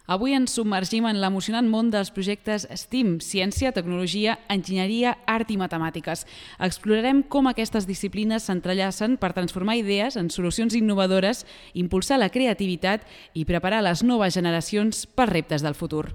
Avui ens submergim en l'emocionant món dels projectes STEAM, ciència, tecnologia, enginyeria, art i matemàtiques. Explorarem com aquestes disciplines s'entrellacen per transformar idees en solucions innovadores, impulsar la creativitat i preparar les noves generacions per reptes del futur.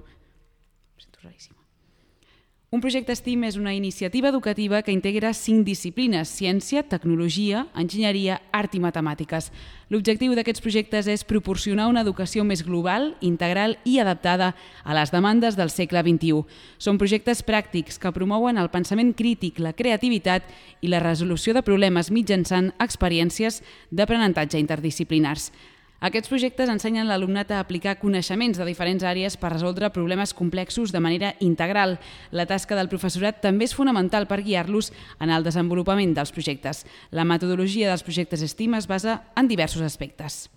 Un projecte STEAM és una iniciativa educativa que integra 5 disciplines: ciència, tecnologia, enginyeria, art i matemàtiques. L'objectiu d'aquests projectes és proporcionar una educació més global, integral i adaptada a les demandes del segle XXI. Són projectes pràctics que promouen el pensament crític, la creativitat i la resolució de problemes mitjançant experiències d'aprenentatge interdisciplinars. Aquests projectes ensenyen l'alumnat a aplicar coneixements de diferents àrees per resoldre problemes complexos de manera integral. La tasca del professorat també és fonamental per guiar-los en el desenvolupament dels projectes. La metodologia dels projectes STEAM es basa en diversos aspectes.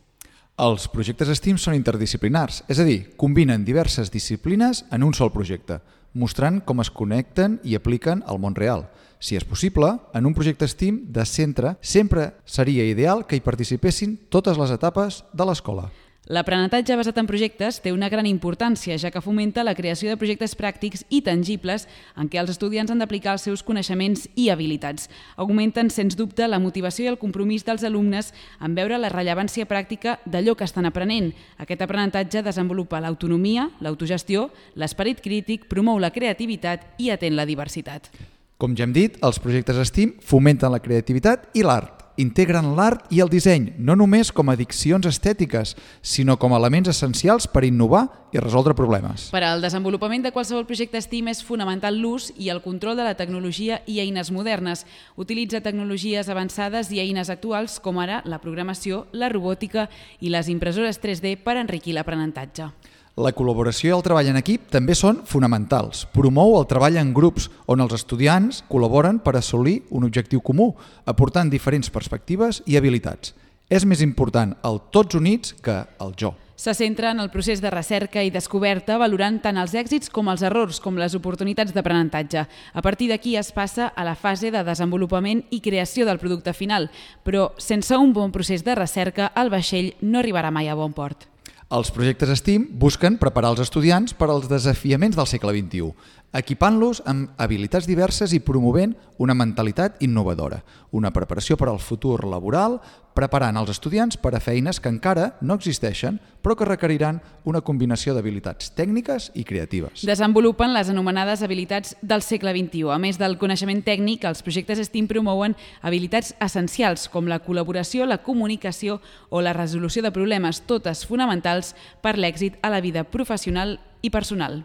Els projectes STEAM són interdisciplinars, és a dir, combinen diverses disciplines en un sol projecte, mostrant com es connecten i apliquen al món real. Si és possible, en un projecte STEAM de centre sempre seria ideal que hi participessin totes les etapes de l'escola. L'aprenentatge basat en projectes té una gran importància, ja que fomenta la creació de projectes pràctics i tangibles en què els estudiants han d'aplicar els seus coneixements i habilitats. Augmenten, sens dubte, la motivació i el compromís dels alumnes en veure la rellevància pràctica d'allò que estan aprenent. Aquest aprenentatge desenvolupa l'autonomia, l'autogestió, l'esperit crític, promou la creativitat i atén la diversitat. Com ja hem dit, els projectes STEAM fomenten la creativitat i l'art. Integren l'art i el disseny, no només com a addiccions estètiques, sinó com a elements essencials per innovar i resoldre problemes. Per al desenvolupament de qualsevol projecte STEAM és fonamental l'ús i el control de la tecnologia i eines modernes. Utilitza tecnologies avançades i eines actuals com ara la programació, la robòtica i les impressores 3D per enriquir l'aprenentatge. La col·laboració i el treball en equip també són fonamentals. Promou el treball en grups on els estudiants col·laboren per assolir un objectiu comú, aportant diferents perspectives i habilitats. És més important el tots units que el jo. Se centra en el procés de recerca i descoberta, valorant tant els èxits com els errors, com les oportunitats d'aprenentatge. A partir d'aquí es passa a la fase de desenvolupament i creació del producte final, però sense un bon procés de recerca, el vaixell no arribarà mai a bon port. Els projectes STEAM busquen preparar els estudiants per als desafiaments del segle XXI, equipant-los amb habilitats diverses i promovent una mentalitat innovadora, una preparació per al futur laboral, preparant els estudiants per a feines que encara no existeixen, però que requeriran una combinació d'habilitats tècniques i creatives. Desenvolupen les anomenades habilitats del segle XXI. A més del coneixement tècnic, els projectes STEAM promouen habilitats essencials com la col·laboració, la comunicació o la resolució de problemes, totes fonamentals per l'èxit a la vida professional i personal.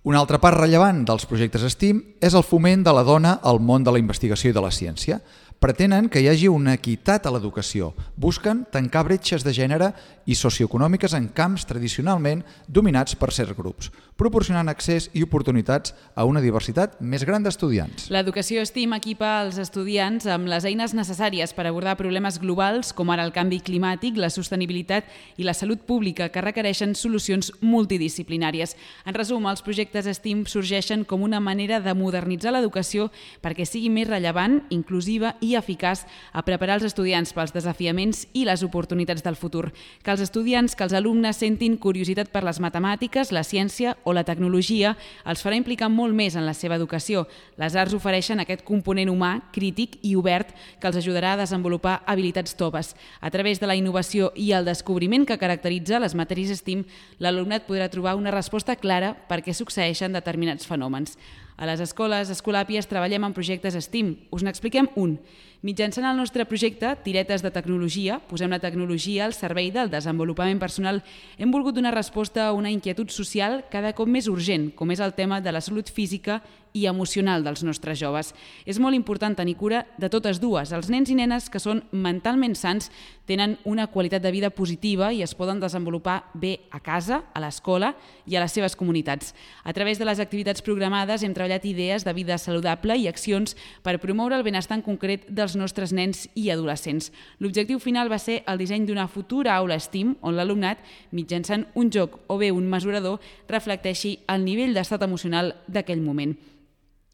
Una altra part rellevant dels projectes STEAM és el foment de la dona al món de la investigació i de la ciència. Pretenen que hi hagi una equitat a l'educació. Busquen tancar bretxes de gènere i socioeconòmiques en camps tradicionalment dominats per certs grups, proporcionant accés i oportunitats a una diversitat més gran d'estudiants. L'educació STEAM equipa els estudiants amb les eines necessàries per abordar problemes globals com ara el canvi climàtic, la sostenibilitat i la salut pública, que requereixen solucions multidisciplinàries. En resum, els projectes STEAM sorgeixen com una manera de modernitzar l'educació perquè sigui més rellevant, inclusiva i eficaç a preparar els estudiants pels desafiaments i les oportunitats del futur. Que els estudiants, que els alumnes sentin curiositat per les matemàtiques, la ciència o la tecnologia els farà implicar molt més en la seva educació. Les arts ofereixen aquest component humà, crític i obert que els ajudarà a desenvolupar habilitats toves. A través de la innovació i el descobriment que caracteritza les matèries STEAM, l'alumnat podrà trobar una resposta clara per què succeeixen determinats fenòmens. A les escoles Escolàpies treballem en projectes STEAM. Us n'expliquem un. Mitjançant el nostre projecte Tiretes de Tecnologia, posem la tecnologia al servei del desenvolupament personal, hem volgut donar resposta a una inquietud social cada cop més urgent, com és el tema de la salut física i emocional dels nostres joves. És molt important tenir cura de totes dues. Els nens i nenes que són mentalment sants tenen una qualitat de vida positiva i es poden desenvolupar bé a casa, a l'escola i a les seves comunitats. A través de les activitats programades hem treballat idees de vida saludable i accions per promoure el benestar en concret dels nostres nens i adolescents. L'objectiu final va ser el disseny d'una futura aula STEAM on l'alumnat, mitjançant un joc o bé un mesurador, reflecteixi el nivell d'estat emocional d'aquell moment.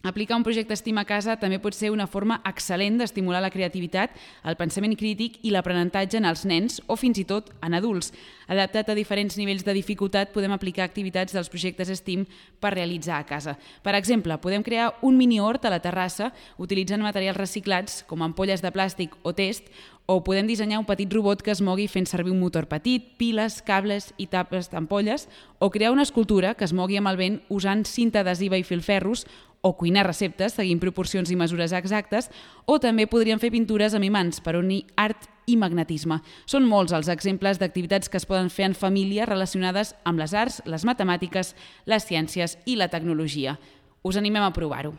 Aplicar un projecte STEAM a casa també pot ser una forma excel·lent d'estimular la creativitat, el pensament crític i l'aprenentatge en els nens o fins i tot en adults. Adaptat a diferents nivells de dificultat, podem aplicar activitats dels projectes STEAM per realitzar a casa. Per exemple, podem crear un mini-hort a la terrassa utilitzant materials reciclats com ampolles de plàstic o test, o podem dissenyar un petit robot que es mogui fent servir un motor petit, piles, cables i tapes d'ampolles, o crear una escultura que es mogui amb el vent usant cinta adhesiva i filferros, o cuinar receptes seguint proporcions i mesures exactes, o també podríem fer pintures amb imants per unir art i magnetisme. Són molts els exemples d'activitats que es poden fer en família relacionades amb les arts, les matemàtiques, les ciències i la tecnologia. Us animem a provar-ho.